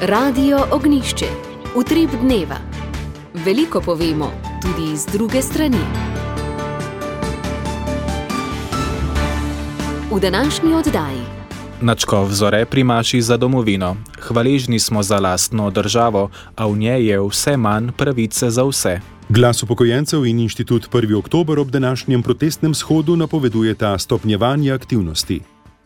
Radio Ognjišče. Utrip dneva. Veliko povemo, tudi iz druge strani. V današnji oddaji. Nadškof Zore primaši za domovino. Hvaležni smo za lastno državo, a v njej je vse manj pravice za vse. Glas upokojencev in inštitut 1. oktober ob današnjem protestnem shodu napovedujeta stopnjevanje aktivnosti.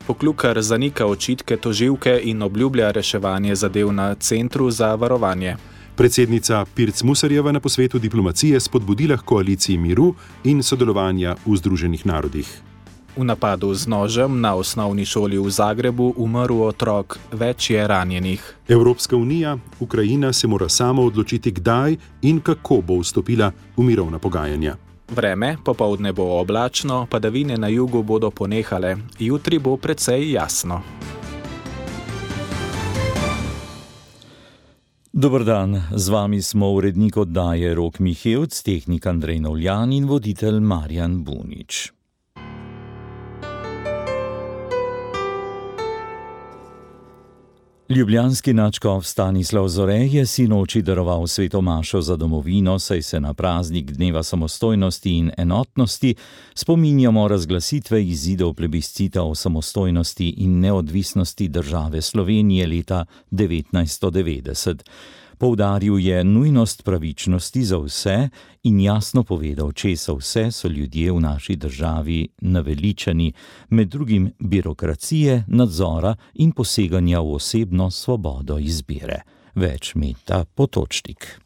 Poklukar zanika očitke tožilke in obljublja reševanje zadev na Centru za varovanje. Predsednica Pirc Musarjeva na posvetu diplomacije spodbudila k koaliciji miru in sodelovanja v Združenih narodih. V napadu z nožem na osnovni šoli v Zagrebu umrl otrok, več je ranjenih. Evropska unija, Ukrajina se mora sama odločiti, kdaj in kako bo vstopila v mirovna pogajanja. Vreme, popoldne bo oblačno, padavine na jugu bodo ponehale, jutri bo precej jasno. Dober dan, z vami smo urednik oddaje Rok Mihevc, tehnik Andrej Novljan in voditelj Marjan Bunič. Ljubljanski nadškof Stanislav Zore je sinoči daroval sveto mašo za domovino, saj se na praznik dneva samostojnosti in enotnosti spominjamo razglasitve izidov plebiscita o samostojnosti in neodvisnosti države Slovenije leta 1990. Poudaril je nujnost pravičnosti za vse in jasno povedal, česa vse so ljudje v naši državi naveličani, med drugim birokracije, nadzora in poseganja v osebno svobodo izbire. Več Meta Potočnik.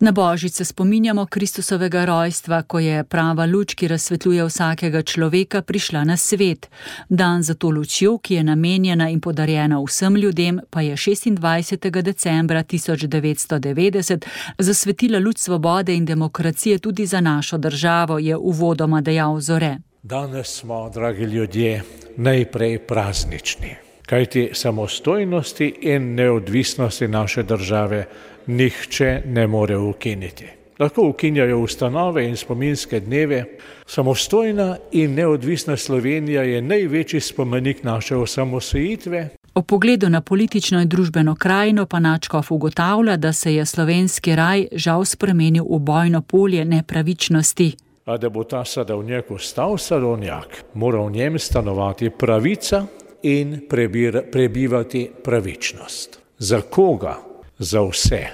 Na Božič se spominjamo Kristusovega rojstva, ko je prava luč, ki razsvetljuje vsakega človeka, prišla na svet. Dan za to lučjo, ki je namenjena in podarjena vsem ljudem, pa je 26. decembra 1990 zasvetila luč svobode in demokracije tudi za našo državo, je uvodoma dejal Zore. Danes smo, dragi ljudje, najprej praznični, kajti samostojnosti in neodvisnosti naše države nihče ne more ukiniti. Lahko ukinjajo ustanove in spominske dneve. Samostojna in neodvisna Slovenija je največji spomenik naše osamosvojitve. O pogledu na politično in družbeno krajino pa nadškof ugotavlja, da se je slovenski raj žal spremenil v bojno polje nepravičnosti. A da bo ta sadovnjak ostal sadovnjak, mora v njem stanovati pravica in prebivati pravičnost. Za koga? Za vse.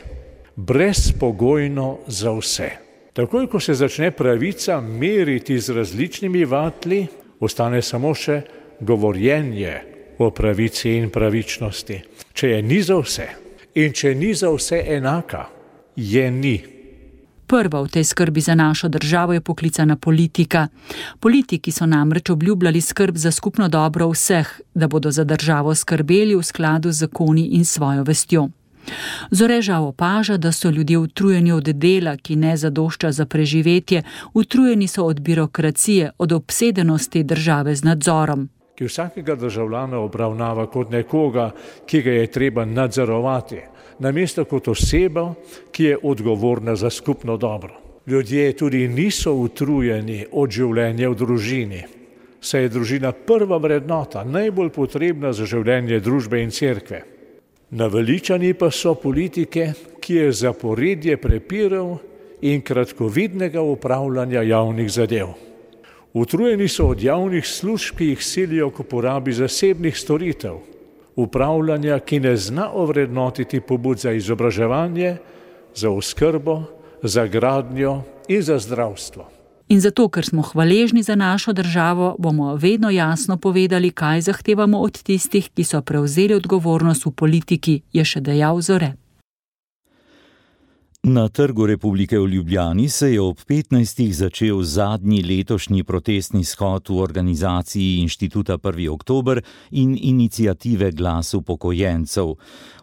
Brezpogojno za vse. Takoj, ko se začne pravica meriti z različnimi vatli, ostane samo še govorjenje o pravici in pravičnosti. Če je ni za vse in če ni za vse enaka, je ni. Prva v tej skrbi za našo državo je poklicana politika. Politiki so namreč obljubljali skrb za skupno dobro vseh, da bodo za državo skrbeli v skladu z zakoni in svojo vestjo. Zore žal opaža, da so ljudje utrujeni od dela, ki ne zadošča za preživetje, utrujeni so od birokracije, od obsedenosti države z nadzorom. Ki vsakega državljana obravnava kot nekoga, ki ga je treba nadzorovati, namesto kot osebo, ki je odgovorna za skupno dobro. Ljudje tudi niso utrujeni od življenja v družini, saj je družina prva vrednota, najbolj potrebna za življenje družbe in cerkve. Naveličani pa so politike, ki je zaporedje prepirov in kratkovidnega upravljanja javnih zadev. Utrujeni so od javnih služb, ki jih silijo k uporabi zasebnih storitev, upravljanja, ki ne zna ovrednotiti pobud za izobraževanje, za oskrbo, za gradnjo in za zdravstvo. In zato, ker smo hvaležni za našo državo, bomo vedno jasno povedali, kaj zahtevamo od tistih, ki so prevzeli odgovornost v politiki, je še dejal Zore. Na Trgu Republike v Ljubljani se je ob 15. začel zadnji letošnji protestni shod v organizaciji Inštituta 1. oktober in iniciative Glas upokojencev.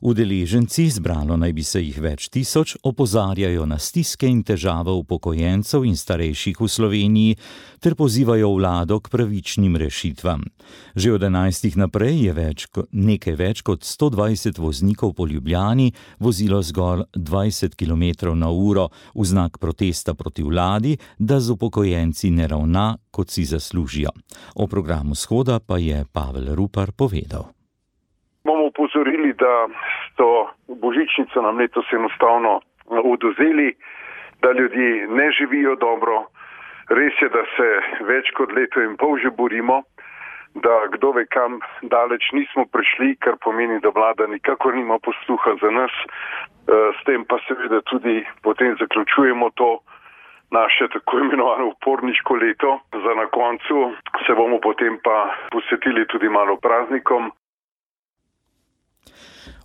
Udeleženci, zbralo naj bi se jih več tisoč, opozarjajo na stiske in težave upokojencev in starejših v Sloveniji ter pozivajo vlado k pravičnim rešitvam. Že od 11. naprej je nekaj več kot 120 voznikov po Ljubljani vozilo zgolj 20 km na uro v znak protesta proti vladi, da z upokojenci ne ravna, kot si zaslužijo. O programu shoda pa je Pavel Rupar povedal. Bomo upozorili, da tisto božičnico nam letos enostavno odvzeli, da ljudje ne živijo dobro. Res je, da se več kot leto in pol že borimo, da kdo ve kam daleč nismo prišli, kar pomeni, da vlada nikakor nima posluha za nas. S tem pa seveda tudi potem zaključujemo to naše tako imenovano uporniško leto. Za na koncu se bomo potem pa posvetili tudi malo praznikom.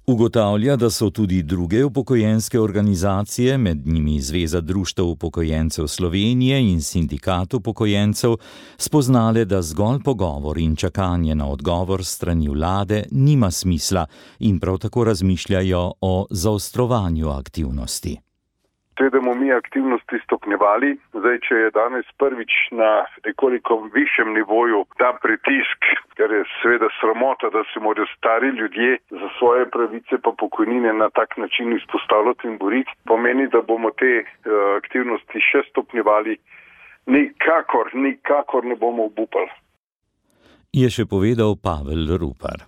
Ugotavlja, da so tudi druge upokojenske organizacije, med njimi Zveza društev upokojencev Slovenije in Sindikat upokojencev, spoznale, da zgolj pogovor in čakanje na odgovor strani vlade nima smisla in prav tako razmišljajo o zaostrovanju aktivnosti. Seveda bomo mi aktivnosti stopnjevali. Zdaj, če je danes prvič na nekoliko višjem nivoju ta pritisk, ker je seveda sramota, da se morajo stari ljudje za svoje pravice pa pokojnine na tak način izpostavljati in boriti, pomeni, da bomo te aktivnosti še stopnjevali. Nikakor ne bomo obupali. Je še povedal Pavel Rupar.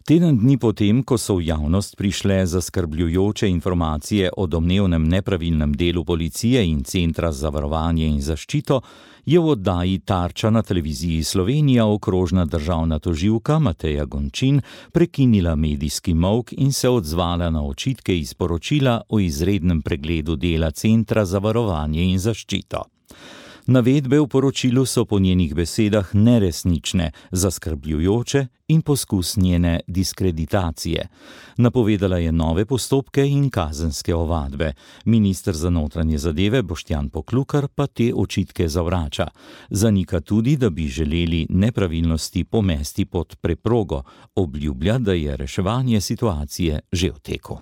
Teden dni potem, ko so v javnost prišle zaskrbljujoče informacije o domnevnem nepravilnem delu policije in Centra za varovanje in zaščito, je v oddaji Tarča na televiziji Slovenija okrožna državna tožilka Mateja Gončin prekinila medijski molk in se odzvala na očitke iz poročila o izrednem pregledu dela Centra za varovanje in zaščito. Navedbe v poročilu so po njenih besedah neresnične, zaskrbljujoče in poskus njene diskreditacije. Napovedala je nove postopke in kazenske ovadbe. Minister za notranje zadeve Boštjan Poklukar pa te očitke zavrača. Zanika tudi, da bi želeli nepravilnosti pomesti pod preprogo. Obljublja, da je reševanje situacije že v teku.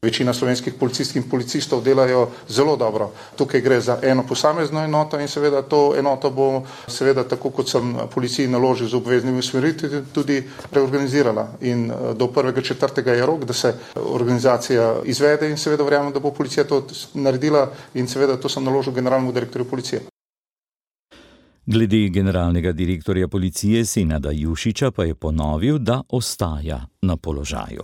Večina slovenskih policistk in policistov delajo zelo dobro. Tukaj gre za eno posamezno enoto in seveda to enoto bo seveda tako, kot sem policiji naložil z obveznimi usmeritvi, tudi reorganizirala. In do 1.4. je rok, da se organizacija izvede in seveda verjamem, da bo policija to naredila in seveda to sem naložil generalnemu direktorju policije. Glede generalnega direktorja policije Senada Jušića pa je ponovil, da ostaja na položaju.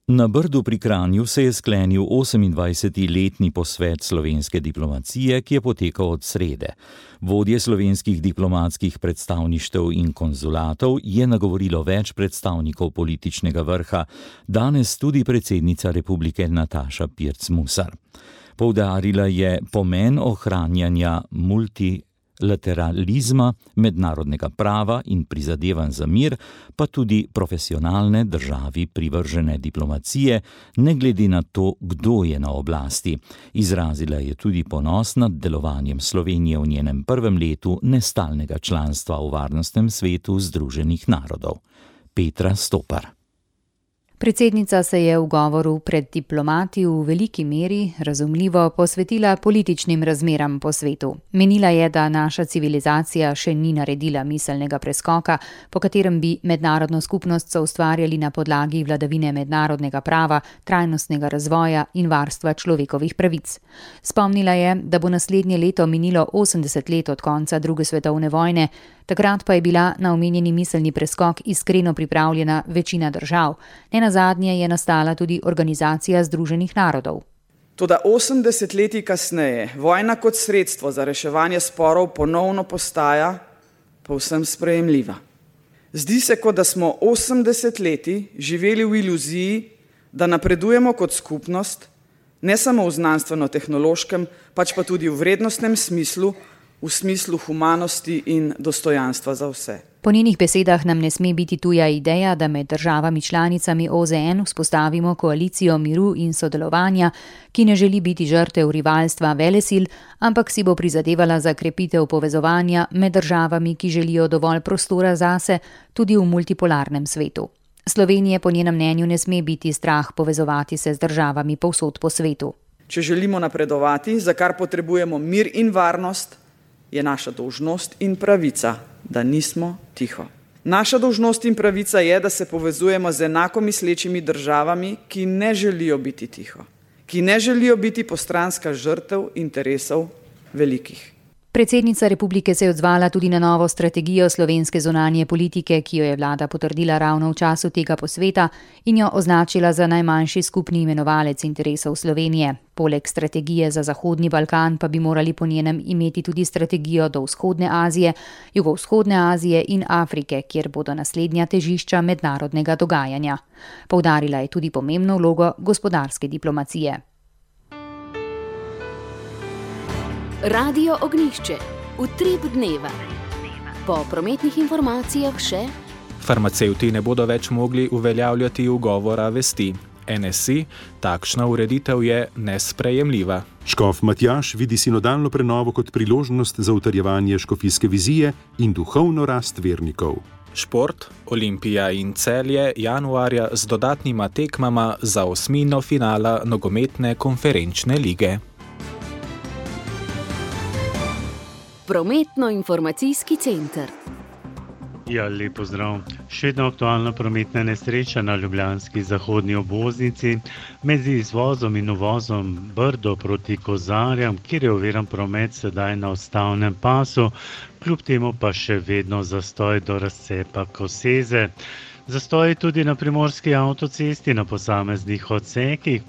Na Brdu pri Kranju se je sklenil 28-letni posvet slovenske diplomacije, ki je potekal od srede. Vodje slovenskih diplomatskih predstavništev in konzulatov je nagovorilo več predstavnikov političnega vrha, danes tudi predsednica republike Nataša Pirc Musar. Poudarila je pomen ohranjanja multilateralizma, mednarodnega prava in prizadevanj za mir, pa tudi profesionalne državi privržene diplomacije, ne glede na to, kdo je na oblasti. Izrazila je tudi ponos nad delovanjem Slovenije v njenem prvem letu nestalnega članstva v Varnostnem svetu Združenih narodov. Petra Stopar. Predsednica se je v govoru pred diplomati v veliki meri, razumljivo, posvetila političnim razmeram po svetu. Menila je, da naša civilizacija še ni naredila miselnega preskoka, po katerem bi mednarodno skupnost soustvarjali na podlagi vladavine mednarodnega prava, trajnostnega razvoja in varstva človekovih pravic. Spomnila je, da bo naslednje leto minilo 80 let od konca druge svetovne vojne, takrat pa je bila na omenjeni miselni preskok iskreno pripravljena večina držav. Nenazadnje je nastala tudi Organizacija Združenih narodov. Toda 80 leti kasneje vojna kot sredstvo za reševanje sporov ponovno postaja povsem sprejemljiva. Zdi se, kot da smo 80 leti živeli v iluziji, da napredujemo kot skupnost, ne samo v znanstveno-tehnološkem, pač pa tudi v vrednostnem smislu, v smislu humanosti in dostojanstva za vse. Po njenih besedah nam ne sme biti tuja ideja, da med državami članicami OZN vzpostavimo koalicijo miru in sodelovanja, ki ne želi biti žrtev rivalstva velesil, ampak si bo prizadevala za krepitev povezovanja med državami, ki želijo dovolj prostora zase, tudi v multipolarnem svetu. Slovenije po njenem mnenju ne sme biti strah povezovati se z državami povsod po svetu. Če želimo napredovati, za kar potrebujemo mir in varnost, je naša dolžnost in pravica, da nismo tiho. Naša dolžnost in pravica je, da se povezujemo z enako mislečimi državami, ki ne želijo biti tiho, ki ne želijo biti postranska žrtev interesov velikih. Predsednica republike se je odzvala tudi na novo strategijo slovenske zunanje politike, ki jo je vlada potrdila ravno v času tega posveta in jo označila za najmanjši skupni imenovalec interesov Slovenije. Poleg strategije za Zahodni Balkan pa bi morali po njenem imeti tudi strategijo do Vzhodne Azije, Jugovzhodne Azije in Afrike, kjer bodo naslednja težišča mednarodnega dogajanja. Poudarila je tudi pomembno vlogo gospodarske diplomacije. Radio Ognjišče, utrip dneva. Po prometnih informacijah še: farmacevti ne bodo več mogli uveljavljati ugovora vesti. NSI, takšna ureditev je nesprejemljiva. Škof Matjaž vidi sinodalno prenovo kot priložnost za utrjevanje škofijske vizije in duhovno rast vernikov. Šport, Olimpija in Celje januarja z dodatnima tekmama za osmino finala nogometne konferenčne lige. Prometno-informacijski center. Ja, lep pozdrav. Še ena aktualna prometna nesreča na ljubljanski zahodni obvoznici med izvozom in uvozom Brdo proti Kozarjam, kjer je oviran promet sedaj na odstavnem pasu, kljub temu pa še vedno zastoj do razcepa Koseze. Zastoj tudi na primorski avtocesti na posameznih odsekih,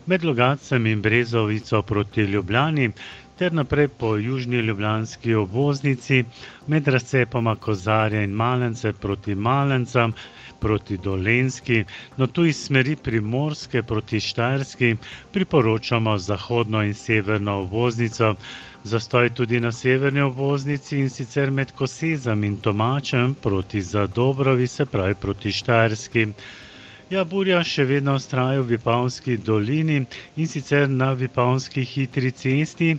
med Logatcem in Brezovico proti Ljubljani, ter naprej po južni ljubljanski obvoznici med razcepoma Kozarja in Malence proti Malencam, proti Dolenjski, no tu iz smeri Primorske proti Štajerski priporočamo zahodno in severno obvoznico. Zastoj tudi na severni obvoznici in sicer med Kosezam in Tomačem proti Zadobrovi, se pravi proti Štajerski. Ja, burja še vedno vztraja v Vipavski dolini in sicer na Vipavski hitri cesti.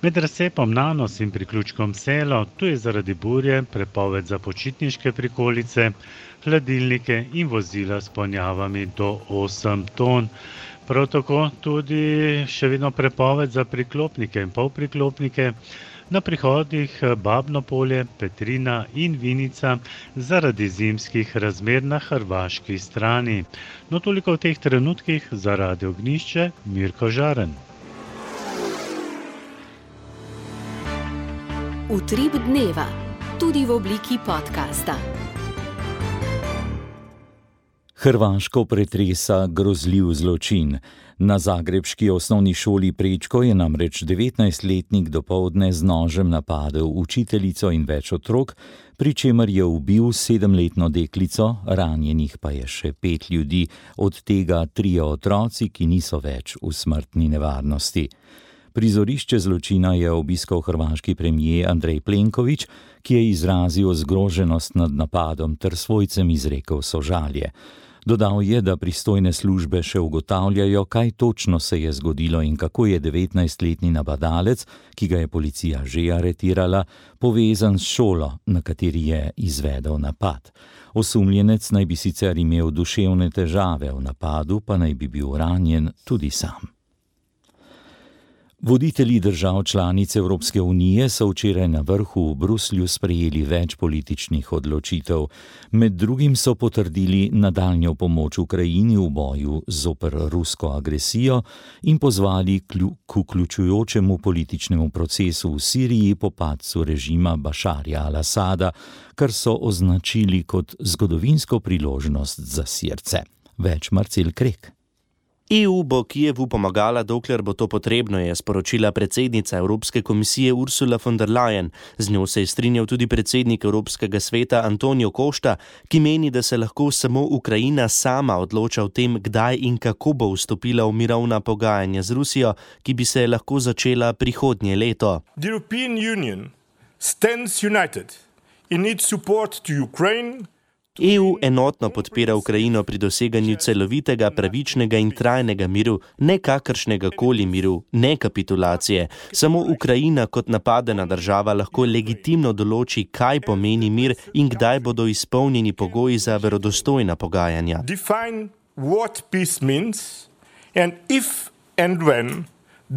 Med razcepom Nanos in priključkom Selo, tu je zaradi burje prepoved za počitniške prikolice, hladilnike in vozila s ponjavami do 8 ton. Prav tako tudi še vedno prepoved za priklopnike in polpriklopnike na prihodih Babno polje, Petrina in Vinica zaradi zimskih razmer na hrvaški strani. No, toliko v teh trenutkih za Radio Ognjišče, Mirko Žaren. Utrip dneva, tudi v obliki podcasta. Hrvaško pretresa grozljiv zločin. Na zagrebški osnovni šoli Prečko je namreč 19-letnik dopoldne z nožem napadel učiteljico in več otrok, pri čemer je ubil 7-letno deklico, ranjenih pa je še 5 ljudi, od tega 3 otroci, ki niso več v smrtni nevarnosti. Prizorišče zločina je obiskal hrvaški premijer Andrej Plenković, ki je izrazil zgroženost nad napadom ter svojcem izrekel sožalje. Dodal je, da pristojne službe še ugotavljajo, kaj točno se je zgodilo in kako je 19-letni napadalec, ki ga je policija že aretirala, povezan s šolo, na kateri je izvedel napad. Osumljenec naj bi sicer imel duševne težave, v napadu pa naj bi bil ranjen tudi sam. Voditelji držav članic Evropske unije so včeraj na vrhu v Bruslju sprejeli več političnih odločitev. Med drugim so potrdili nadaljnjo pomoč Ukrajini v boju zoper rusko agresijo in pozvali k vključujočemu političnemu procesu v Siriji po padcu režima Bašarja al-Asada, kar so označili kot zgodovinsko priložnost za Sirce. Več Marcel Krek. EU bo Kijevu pomagala, dokler bo to potrebno, je sporočila predsednica Evropske komisije Ursula von der Leyen. Z njo se je strinjal tudi predsednik Evropskega sveta Antonio Costa, ki meni, da se lahko samo Ukrajina sama odloča o tem, kdaj in kako bo vstopila v mirovna pogajanja z Rusijo, ki bi se lahko začela prihodnje leto. The European Union stands united in its support to Ukraine. EU enotno podpira Ukrajino pri doseganju celovitega, pravičnega in trajnega miru, ne kakršnega koli miru, ne kapitulacije. Samo Ukrajina kot napadena država lahko legitimno določi, kaj pomeni mir in kdaj bodo izpolnjeni pogoji za verodostojna pogajanja. Define what peace means and if and when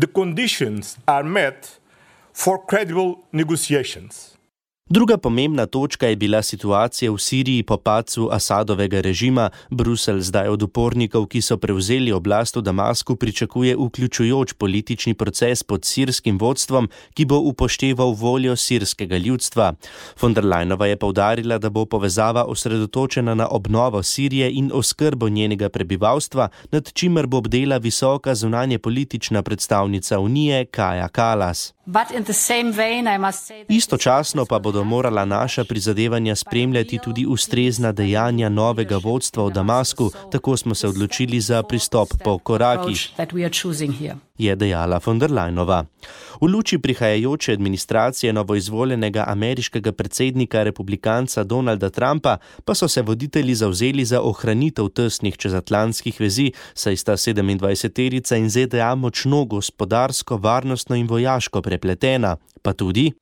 the conditions are met for credible negotiations. Druga pomembna točka je bila situacija v Siriji po padcu Asadovega režima. Bruselj zdaj od upornikov, ki so prevzeli oblast v Damasku, pričakuje vključujoč politični proces pod sirskim vodstvom, ki bo upošteval voljo sirskega ljudstva. Von der Leyenova je poudarila, da bo povezava osredotočena na obnovo Sirije in oskrbo njenega prebivalstva, nad čimer bo bdela visoka zunanje politična predstavnica Unije Kaja Kallas. Istočasno pa bodo morala naša prizadevanja spremljati tudi ustrezna dejanja novega vodstva v Damasku, tako smo se odločili za pristop po korakih, je dejala von der Leyenova. V luči prihajajoče administracije novoizvoljenega ameriškega predsednika republikanca Donalda Trumpa pa so se voditelji zavzeli za ohranitev tesnih čezatlantskih vezi, saj sta 27-terica in ZDA močno gospodarsko, varnostno in vojaško prepletena. Pa tudi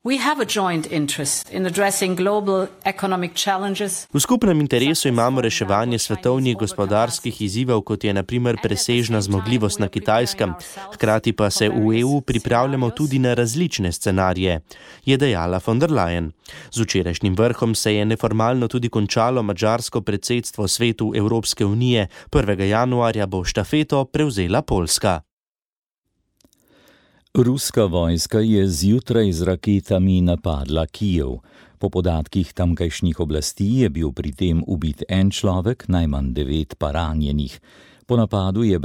v skupnem interesu imamo reševanje svetovnih gospodarskih izzivov, kot je na primer presežna zmogljivost na Kitajskem. Hkrati pa se v EU pripravljamo tudi na različne scenarije, je dejala von der Leyen. Z včerajšnjim vrhom se je neformalno tudi končalo madžarsko predsedstvo Svetu Evropske unije. 1. januarja bo štafeto prevzela Poljska. Ruska vojska je zjutraj z raketami napadla Kijev. Po podatkih tamkajšnjih oblasti je bil pri tem ubit en človek, najmanj 9 pa ranjenih. Po napadu je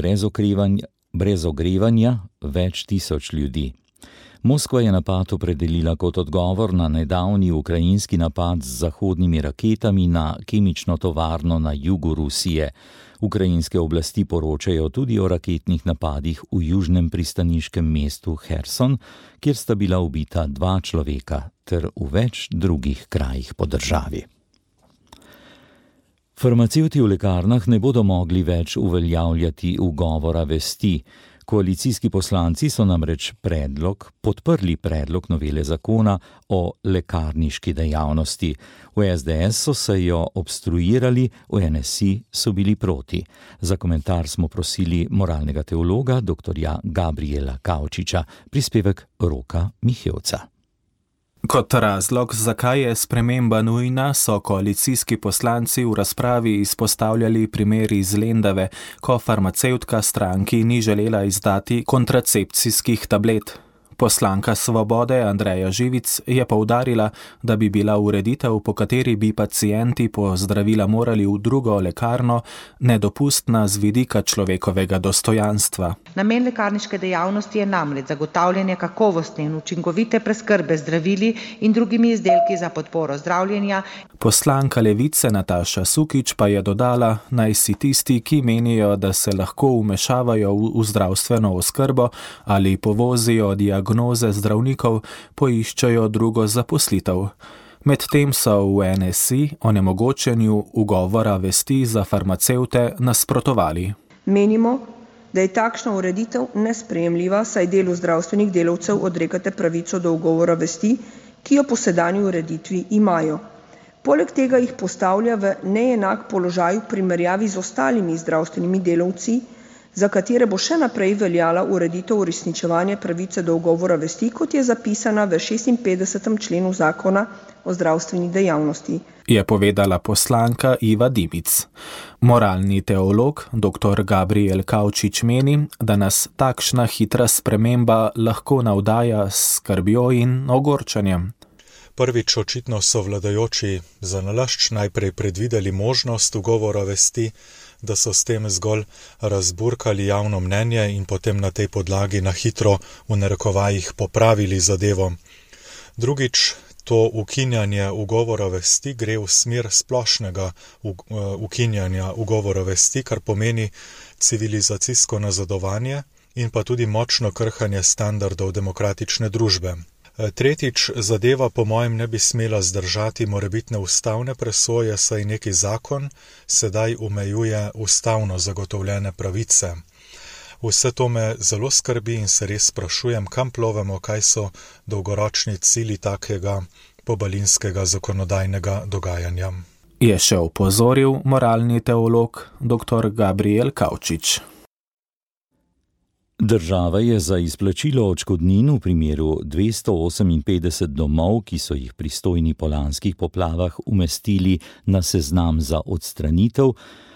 brez ogrevanja več tisoč ljudi. Moskva je napad opredelila kot odgovor na nedavni ukrajinski napad z zahodnimi raketami na kemično tovarno na jugu Rusije. Ukrajinske oblasti poročajo tudi o raketnih napadih v južnem pristaniškem mestu Herson, kjer sta bila ubita 2 človeka, ter v več drugih krajih po državi. Farmacevti v lekarnah ne bodo mogli več uveljavljati ugovora vesti. Koalicijski poslanci so namreč podprli predlog novele zakona o lekarniški dejavnosti. V SDS so se jo obstruirali, v NSI so bili proti. Za komentar smo prosili moralnega teologa dr. Gabriela Kavčiča, prispevek Roka Mihevca. Kot razlog, zakaj je sprememba nujna, so koalicijski poslanci v razpravi izpostavljali primer iz Lendave, ko farmacevtka stranki ni želela izdati kontracepcijskih tablet. Poslanka Svobode Andreja Živic je poudarila, da bi bila ureditev, po kateri bi pacienti po zdravila morali v drugo lekarno, nedopustna z vidika človekovega dostojanstva. Namen lekarniške dejavnosti je namreč zagotavljanje kakovostne in učinkovite preskrbe zdravili in drugimi izdelki za podporo zdravljenja. Poslanka Levice Nataša Sukič pa je dodala, naj si tisti, ki menijo, da se lahko vmešavajo v zdravstveno oskrbo ali povozijo diagnoze zdravnikov, poiščejo drugo zaposlitev. Medtem so v NSI onemogočenju ugovora vesti za farmacevte nasprotovali. Menimo, da je takšna ureditev nesprejemljiva, saj delu zdravstvenih delavcev odrekate pravico do ugovora vesti, ki jo po sedanji ureditvi imajo. Poleg tega jih postavlja v neenak položaj v primerjavi z ostalimi zdravstvenimi delavci, za katere bo še naprej veljala ureditev uresničevanja pravice do ugovora vesti, kot je zapisana v 56. členu zakona o zdravstveni dejavnosti, je povedala poslanka Iva Dimic. Moralni teolog dr. Gabriel Kavčič meni, da nas takšna hitra sprememba lahko navdaja s skrbjo in ogorčenjem. Prvič, očitno so vladajoči zanalašč najprej predvideli možnost ugovora vesti, da so s tem zgolj razburkali javno mnenje in potem na tej podlagi na hitro v narekovajih popravili zadevo. Drugič, to ukinjanje ugovora vesti gre v smer splošnega ukinjanja ugovora vesti, kar pomeni civilizacijsko nazadovanje in pa tudi močno krhanje standardov demokratične družbe. Tretjič, zadeva po mojem ne bi smela zdržati morebitne ustavne presoje, saj neki zakon sedaj omejuje ustavno zagotovljene pravice. Vse to me zelo skrbi in se res sprašujem, kam plovemo, kaj so dolgoročni cilji takega pobalinskega zakonodajnega dogajanja. Je še opozoril moralni teolog dr. Gabriel Kavčič. Država je za izplačilo odškodnin v primeru 258 domov, ki so jih pristojni po lanskih poplavah umestili na seznam za odstranitev,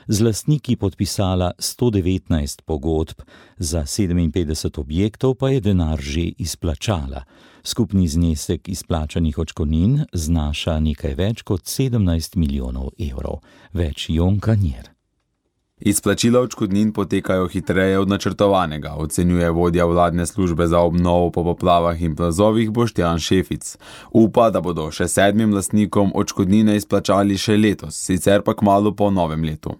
z lastniki podpisala 119 pogodb, za 57 objektov pa je denar že izplačala. Skupni znesek izplačanih odškodnin znaša nekaj več kot 17 milijonov evrov. Več Jonka Njer. Izplačila odškodnin potekajo hitreje od načrtovanega, ocenjuje vodja vladne službe za obnovo po poplavah in plazovih Boštjan Šefic. Upa, da bodo še 7 lastnikom odškodnine izplačali še letos, sicer pa kmalu po novem letu.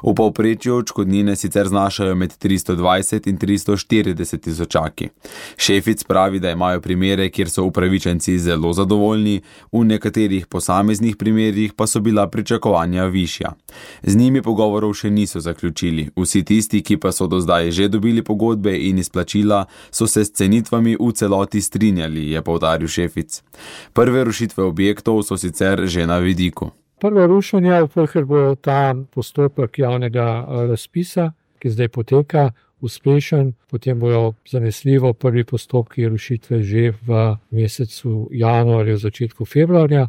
V povprečju odškodnine sicer znašajo med 320 in 340 tisočaki. Šefic pravi, da imajo primere, kjer so upravičenci zelo zadovoljni, v nekaterih posameznih primerih pa so bila pričakovanja višja. Z njimi pogovorov še niso zaključili. Vsi tisti, ki pa so do zdaj že dobili pogodbe in izplačila, so se s cenitvami v celoti strinjali, je poudaril Šefic. Prve rušitve objektov so sicer že na vidiku. Prvo rušenje, ker bo ta postopek javnega razpisa, ki zdaj poteka, uspešen, potem bojo zanesljivo prvi postopki rušitve že v mesecu januarju, začetku februarja.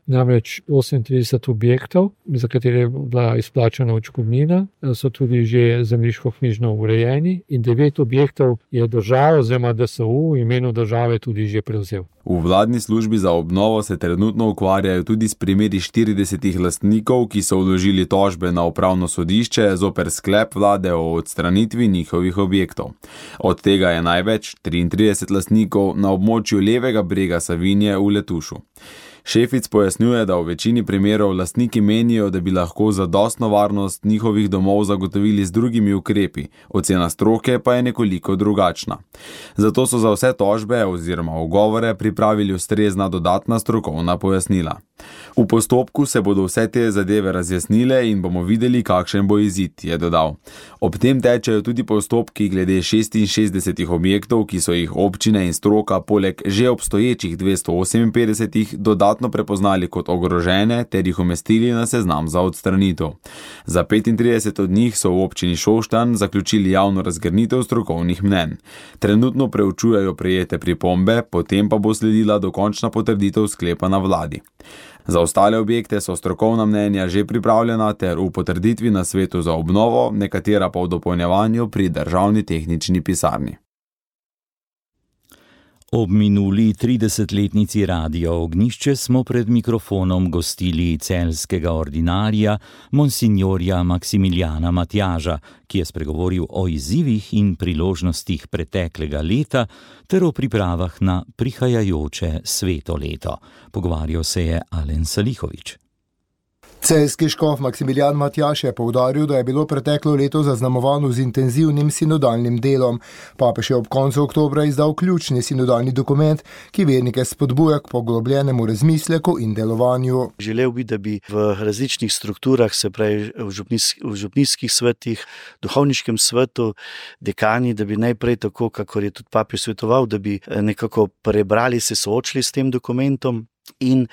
Namreč 38 objektov, za katere je bila izplačana odškodnina, so tudi že zemljiškoknjižno urejeni in 9 objektov je država oziroma DSU v imenu države tudi že prevzel. V vladni službi za obnovo se trenutno ukvarjajo tudi s primeri 40 lastnikov, ki so vložili tožbe na upravno sodišče zoper sklep vlade o odstranitvi njihovih objektov. Od tega je največ 33 lastnikov na območju levega brega Savinje v Letušu. Šefic pojasnjuje, da v večini primerov lastniki menijo, da bi lahko zadostno varnost njihovih domov zagotovili z drugimi ukrepi, ocena stroke pa je nekoliko drugačna. Zato so za vse tožbe oziroma ugovore pripravili ustrezna dodatna strokovna pojasnila. V postopku se bodo vse te zadeve razjasnile in bomo videli, kakšen bo izid, je dodal. Ob tem tečejo tudi postopki glede 66 objektov, ki so jih občine in stroka poleg že obstoječih 258 dodatno prepoznali kot ogrožene ter jih umestili na seznam za odstranitev. Za 35 od njih so v občini Šoštanj zaključili javno razgrnitev strokovnih mnenj. Trenutno preučujejo prejete pripombe, potem pa bo sledila dokončna potrditev sklepa na vladi. Za ostale objekte so strokovna mnenja že pripravljena ter v potrditvi na svetu za obnovo, nekatera pa v dopolnjevanju pri državni tehnični pisarni. Ob minuli 30-letnici Radia Ognjišče smo pred mikrofonom gostili celjskega ordinarja, monsinjorja Maksimiljana Matjaža, ki je spregovoril o izzivih in priložnostih preteklega leta ter o pripravah na prihajajoče sveto leto. Pogovarjal se je Alen Salihovič. Celjski škof Maksimilijan Matjaž je poudaril, da je bilo preteklo leto zaznamovano z intenzivnim sinodalnim delom. Papež je ob koncu oktobra izdal ključni sinodalni dokument, ki vernike spodbuja k poglobljenemu razmisleku in delovanju. Želel bi, da bi v različnih strukturah, se pravi v župnijskih svetih, duhovniškem svetu, dekani, da bi najprej tako, kakor je tudi papež svetoval, da bi nekako prebrali, se soočili s tem dokumentom in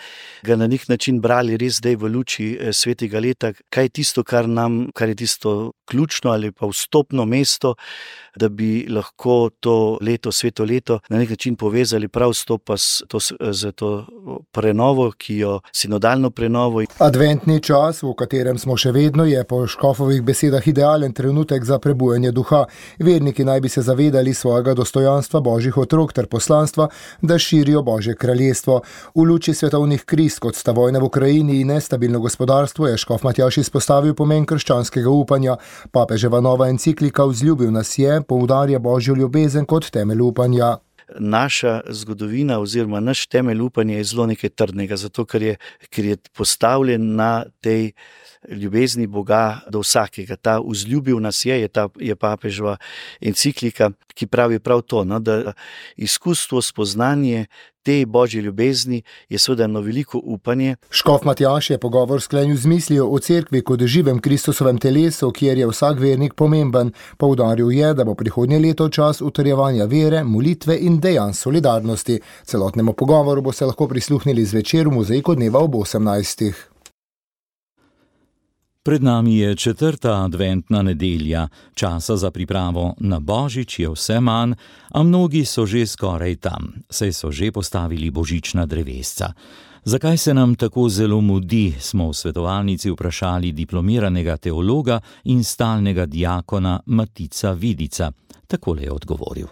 ga na nek način brali res zdaj v luči svetega leta, kaj je tisto, kar je tisto ključno ali pa vstopno mesto, da bi lahko to leto, sveto leto, na nek način povezali prav stopa z to prenovo, sinodalno prenovo. Adventni čas, v katerem smo še vedno, je po škofovih besedah idealen trenutek za prebujanje duha. Verniki naj bi se zavedali svojega dostojanstva božjih otrok ter poslanstva, da širijo Božje kraljestvo. V luči svetovnih kriz, kot sta vojna v Ukrajini in nestabilno gospodarstvo, je škof Matjaž izpostavil pomen krščanskega upanja. Papeževa nova enciklika Vzljubil nas je poudarja Božjo ljubezen kot temelj upanja. Naša zgodovina oziroma naš temelj upanja je zelo nekaj trdnega, zato ker je postavljen na tej ljubezni Boga do vsakega. Ta vzljubil nas je papeževa enciklika, ki pravi prav to, da izkustvo, spoznanje te Božje ljubezni je seveda eno veliko upanje. Škof Matjaž je pogovor sklenil z mislijo o cerkvi kot živem Kristusovem telesu, kjer je vsak vernik pomemben. Poudaril je, da bo prihodnje leto čas utrjevanja vere, molitve in dejanj solidarnosti. Celotnemu pogovoru bo se lahko prisluhnili zvečer v Mozaiku dneva ob 18. Pred nami je 4. adventna nedelja, časa za pripravo na Božič je vse manj, a mnogi so že skoraj tam, saj so že postavili božična drevesca. Zakaj se nam tako zelo mudi, smo v svetovalnici vprašali diplomiranega teologa in stalnega diakona Matica Vidica. Takole je odgovoril.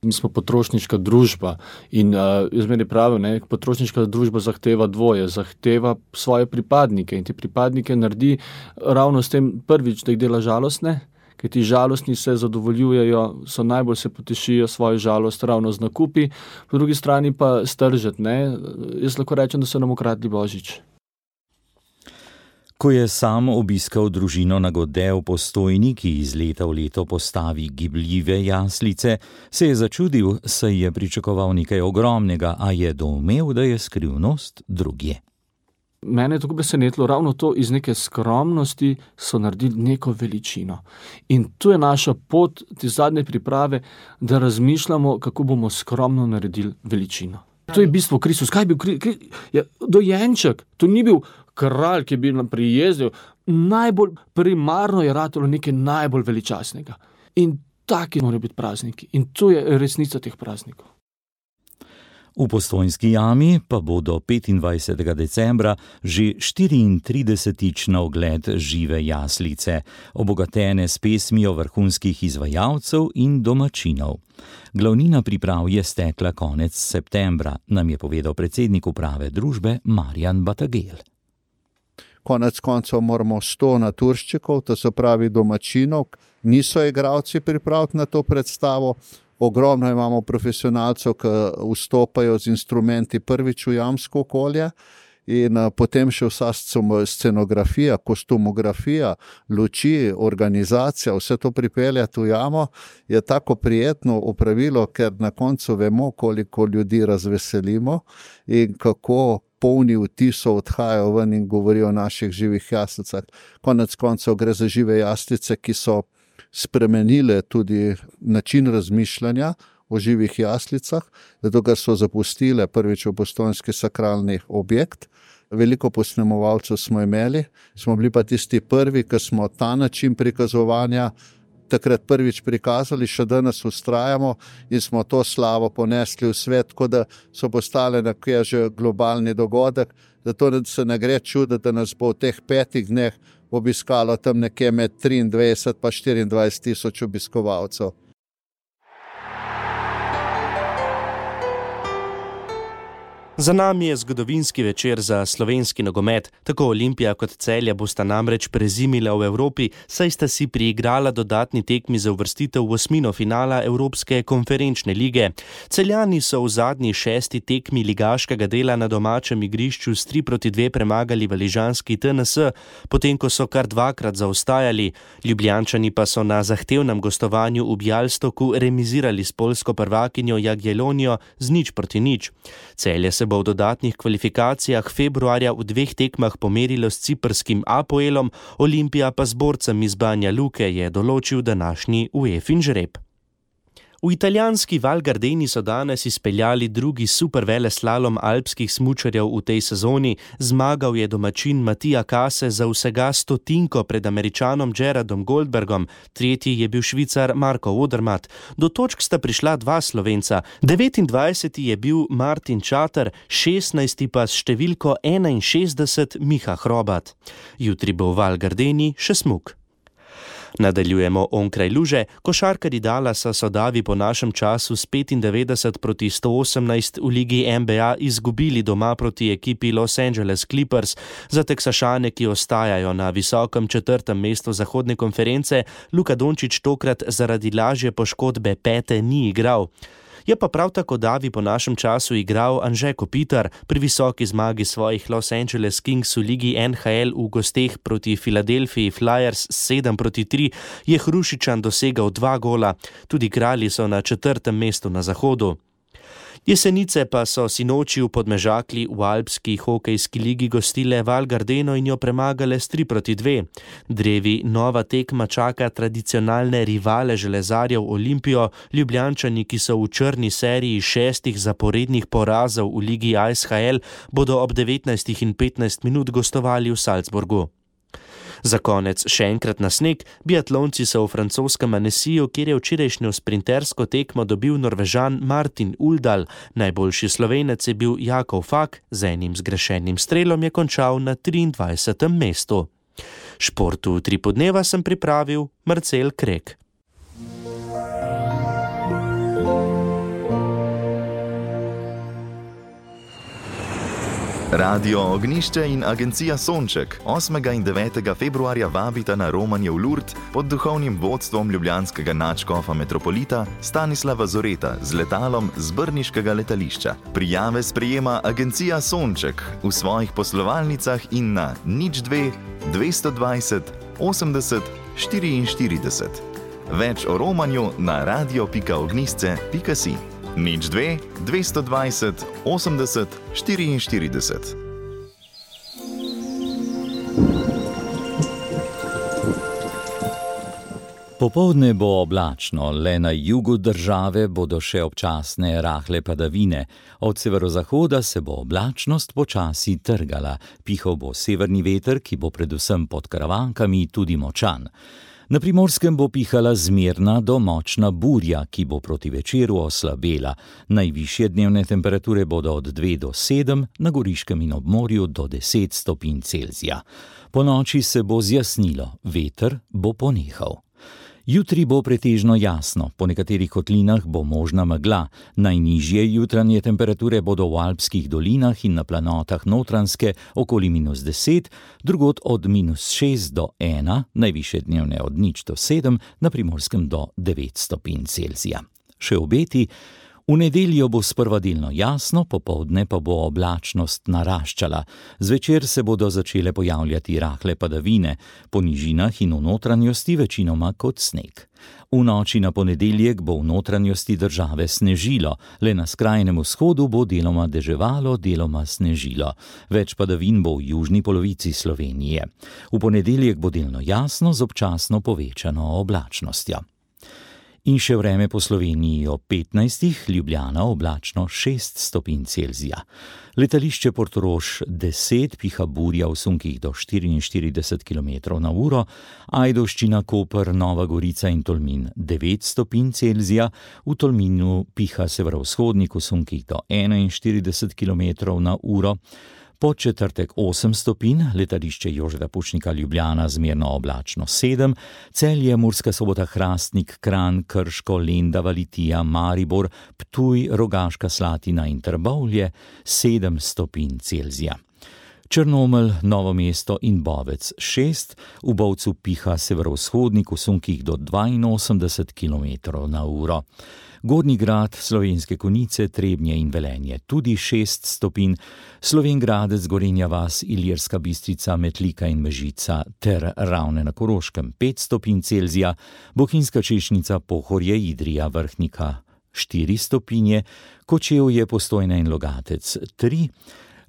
Mi smo potrošniška družba in jaz meni pravim, potrošniška družba zahteva dvoje, zahteva svoje pripadnike in ti pripadnike naredi ravno s tem prvič, da jih dela žalostne, ker ti žalostni se zadovoljujejo, so najbolj se potešijo svojo žalost ravno z nakupi, po drugi strani pa stržet, Jaz lahko rečem, da so nam ukradli Božič. Ko je sam obiskal družino na Godē v Postojni, ki iz leta v leto postavi gibljive jaslice, se je začudil, saj je pričakoval nekaj ogromnega, a je doumel, da je skrivnost drugje. Mene je tako presenetilo, ravno to iz neke skromnosti so naredili neko veličino. In tu je naša pot, te zadnje priprave, da razmišljamo, kako bomo skromno naredili veličino. To je bistvo Kristus. Kaj je bil dojenček? To ni bil kralj, ki je bil nam prijezdil. Najbolj primarno je ratalo nekaj najbolj veličastnega. In taki morajo biti prazniki. In to je resnica teh praznikov. V Postojnski jami pa bo do 25. decembra že 34. na ogled žive jaslice, obogatene s pesmijo vrhunskih izvajalcev in domačinov. Glavnina priprav je stekla konec septembra, nam je povedal predsednik uprave družbe Marjan Batagel. Konec koncev moramo 100 naturščikov, to se pravi domačinov, niso igralci pripraviti na to predstavo. Ogromno imamo profesionalcev, ki vstopajo z instrumenti prvič v jamsko okolje in potem še vsa scenografija, kostumografija, luči, organizacija, vse to pripeljati v jamo je tako prijetno opravilo, ker na koncu vemo, koliko ljudi razveselimo in kako polni vtisov odhajajo ven in govorijo o naših živih jaslicah. Konec koncev gre za žive jaslice, ki so spremenile tudi način razmišljanja o živih jaslicah, zato ker so zapustile prvič v postojnski sakralni objekt. Veliko posnemovalcev smo imeli, smo bili pa tisti prvi, ki smo ta način prikazovanja takrat prvič prikazali, še danes vztrajamo in smo to slavo ponesli v svet, tako da so postale nekje že globalni dogodek, zato se ne gre čuditi, da nas bo v teh 5 dneh obiskalo tam nekje med 23 pa 24 tisoč obiskovalcev. Za nami je zgodovinski večer za slovenski nogomet. Tako Olimpija kot Celje bosta namreč prezimila v Evropi, saj sta si priigrala dodatni tekmi za uvrstitev v osmino finala Evropske konferenčne lige. Celjani so v zadnji 6. tekmi ligaškega dela na domačem igrišču s 3-2 premagali valižanski TNS, potem ko so kar 2-krat zaostajali. Ljubljančani pa so na zahtevnem gostovanju v Bjalstoku remizirali s poljsko prvakinjo Jagiellonijo z 0-0. Celje se bo v dodatnih kvalifikacijah februarja v 2 tekmah pomerilo s ciprskim Apoelom, Olimpija pa z borcem iz Banja Luke, je določil današnji UEFA žreb. V italijanski Val Gardeni so danes izpeljali drugi superveleslalom alpskih smučarjev v tej sezoni. Zmagal je domačin Matija Kase za vsega 100 pred Američanom Gerardom Goldbergom, tretji je bil Švicar Marko Odermatt. Do točk sta prišla 2 Slovenca, 29. je bil Martin Čater, 16. pa s številko 61 Miha Hrobat. Jutri bo v Val Gardeni še smuk. Nadaljujemo onkraj luže. Košarkarji Dallasa so davi po našem času s 95-118 v ligi NBA izgubili doma proti ekipi Los Angeles Clippers. Za Teksašane, ki ostajajo na visokem 4. mestu zahodne konference, Luka Dončić tokrat zaradi lažje poškodbe pete ni igral. Je pa prav tako davi po našem času igral Anže Kopitar. Pri visoki zmagi svojih Los Angeles Kings v ligi NHL v gosteh proti Philadelphia Flyers 7-3 je Hrušičan dosegal 2 gola. Tudi Kralji so na 4. mestu na zahodu. Jesenice pa so sinoči v Podmežakli v alpski hokejski ligi gostile Val Gardeno in jo premagale s 3-2. Drevi nova tekma čaka tradicionalne rivale železarjev Olimpijo. Ljubljančani, ki so v črni seriji 6 zaporednih porazov v ligi ISHL, bodo ob 19:15 gostovali v Salzburgu. Za konec še enkrat na sneg, biatlonci so v francoskem Annecyju, kjer je včerajšnjo sprintersko tekmo dobil Norvežan Martin Uldal. Najboljši Slovenec je bil Jakov Fak, z enim zgrešenim strelom je končal na 23. mestu. Športu 3 podneva sem pripravil Marcel Krek. Radio Ognišče in agencija Sonček 8. in 9. februarja vabita na romanje v Lourdes pod duhovnim vodstvom ljubljanskega nadškofa metropolita Stanislava Zoreta z letalom z brniškega letališča. Prijave sprejema agencija Sonček v svojih poslovalnicah in na 02 220 80 44. Več o romanju na radio.ognisce.si. 02 220 80 44. Popoldne bo oblačno, le na jugu države bodo še občasne rahle padavine. Od severozahoda se bo oblačnost počasi trgala. Pihal bo severni veter, ki bo predvsem pod Karavankami tudi močan. Na Primorskem bo pihala zmerna do močna burja, ki bo proti večeru oslabela. Najvišje dnevne temperature bodo od 2 do 7, na Goriškem in ob morju do 10 stopinj Celzija. Po noči se bo zjasnilo, veter bo ponehal. Jutri bo pretežno jasno, po nekaterih kotlinah bo možna megla. Najnižje jutranje temperature bodo v alpskih dolinah in na planotah Notranjske okoli -10, drugod od -6 do 1, najvišje dnevne od 0 do 7, na Primorskem do 9 stopinj Celzija. Še obeti. V nedeljo bo sprva delno jasno, popoldne pa bo oblačnost naraščala. Zvečer se bodo začele pojavljati rahle padavine, po nižinah in v notranjosti večinoma kot sneg. V noči na ponedeljek bo v notranjosti države snežilo, le na skrajnem vzhodu bo deloma deževalo, deloma snežilo. Več padavin bo v južni polovici Slovenije. V ponedeljek bo delno jasno z občasno povečano oblačnostjo. In še vreme po Sloveniji ob 15, Ljubljana oblačno 6 stopinj Celzija. Letališče Portorož 10, piha burja v sunkih do 44 km/h, Ajdovščina, Koper, Nova Gorica in Tolmin 9 stopinj Celzija, v Tolminu piha severovzhodnik v sunkih do 41 km/h, Podčetrtek 8 stopinj, letališče Jožeta Pučnika Ljubljana zmerno oblačno 7, Celje, Murska Sobota, Hrastnik, Kranj, Krško, Lendava, Litija, Maribor, Ptuj, Rogaška Slatina in Trbovlje 7 stopinj Celzija. Črnomelj, Novo mesto in Bovec 6, v Bovcu piha severovzhodnik v sunkih do 82 km/h. Gornji Grad, Slovenske Konjice, Trebnje in Velenje tudi 6 stopinj, Slovenj Gradec, Gorenja vas, Ilirska Bistrica, Metlika in Mežica ter Ravne na Koroškem 5 stopinj Celzija, Bohinjska Češnica, Pohorje, Idrija, Vrhnika 4 stopinje, Kočevje, Postojna in Logatec 3,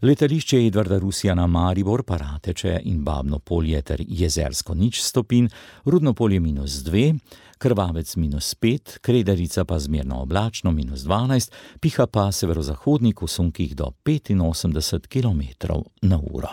letališče Edvarda Rusjana Maribor, Parateče in Babno Polje ter Jezersko 0 stopinj, Rudno Polje -2, Krvavec -5, Kredarica pa zmerno oblačno -12, piha pa severozahodnik v sunkih do 85 km/h.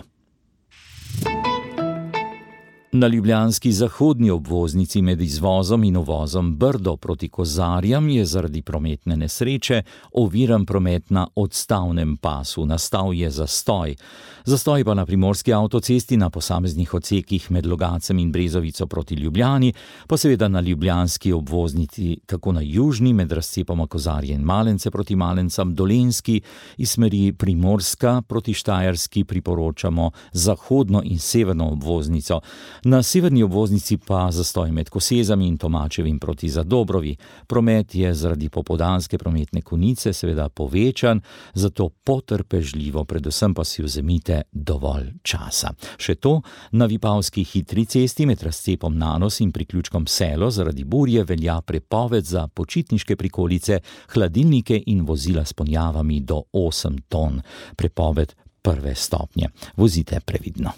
Na ljubljanski zahodni obvoznici med izvozom in uvozom Brdo proti Kozarjam je zaradi prometne nesreče oviran promet na odstavnem pasu. Nastal je zastoj. Zastoj pa na primorski avtocesti na posameznih odsekih med Logacem in Brezovico proti Ljubljani, pa seveda na ljubljanski obvoznici tako na južni med razcepoma Kozarje in Malence proti Malencam, Dolenjski iz smeri Primorska proti Štajerski priporočamo zahodno in severno obvoznico. Na severni obvoznici pa zastoj med Kosezami in Tomačevim proti Zadobrovi. Promet je zaradi popoldanske prometne konice seveda povečan, zato potrpežljivo, predvsem pa si vzemite dovolj časa. Še to, na Vipavski hitri cesti med razcepom Nanos in priključkom Selo zaradi burje velja prepoved za počitniške prikolice, hladilnike in vozila s ponjavami do 8 ton. Prepoved 1. stopnje. Vozite previdno.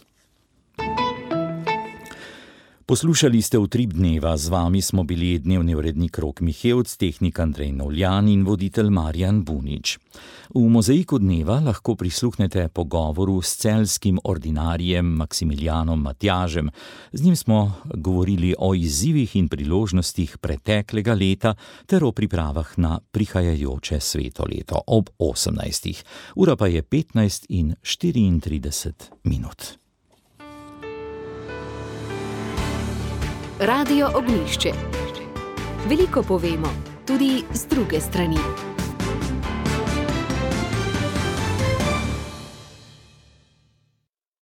Poslušali ste Utrip dneva, z vami smo bili dnevni urednik Rok Mihevc, tehnik Andrej Novljan in voditelj Marjan Bunič. V Mozaiku dneva lahko prisluhnete pogovoru s celjskim ordinarjem Maksimilijanom Matjažem. Z njim smo govorili o izzivih in priložnostih preteklega leta ter o pripravah na prihajajoče sveto leto ob 18. Ura pa je 15:34. Radio Ognjišče. Veliko povemo, tudi z druge strani.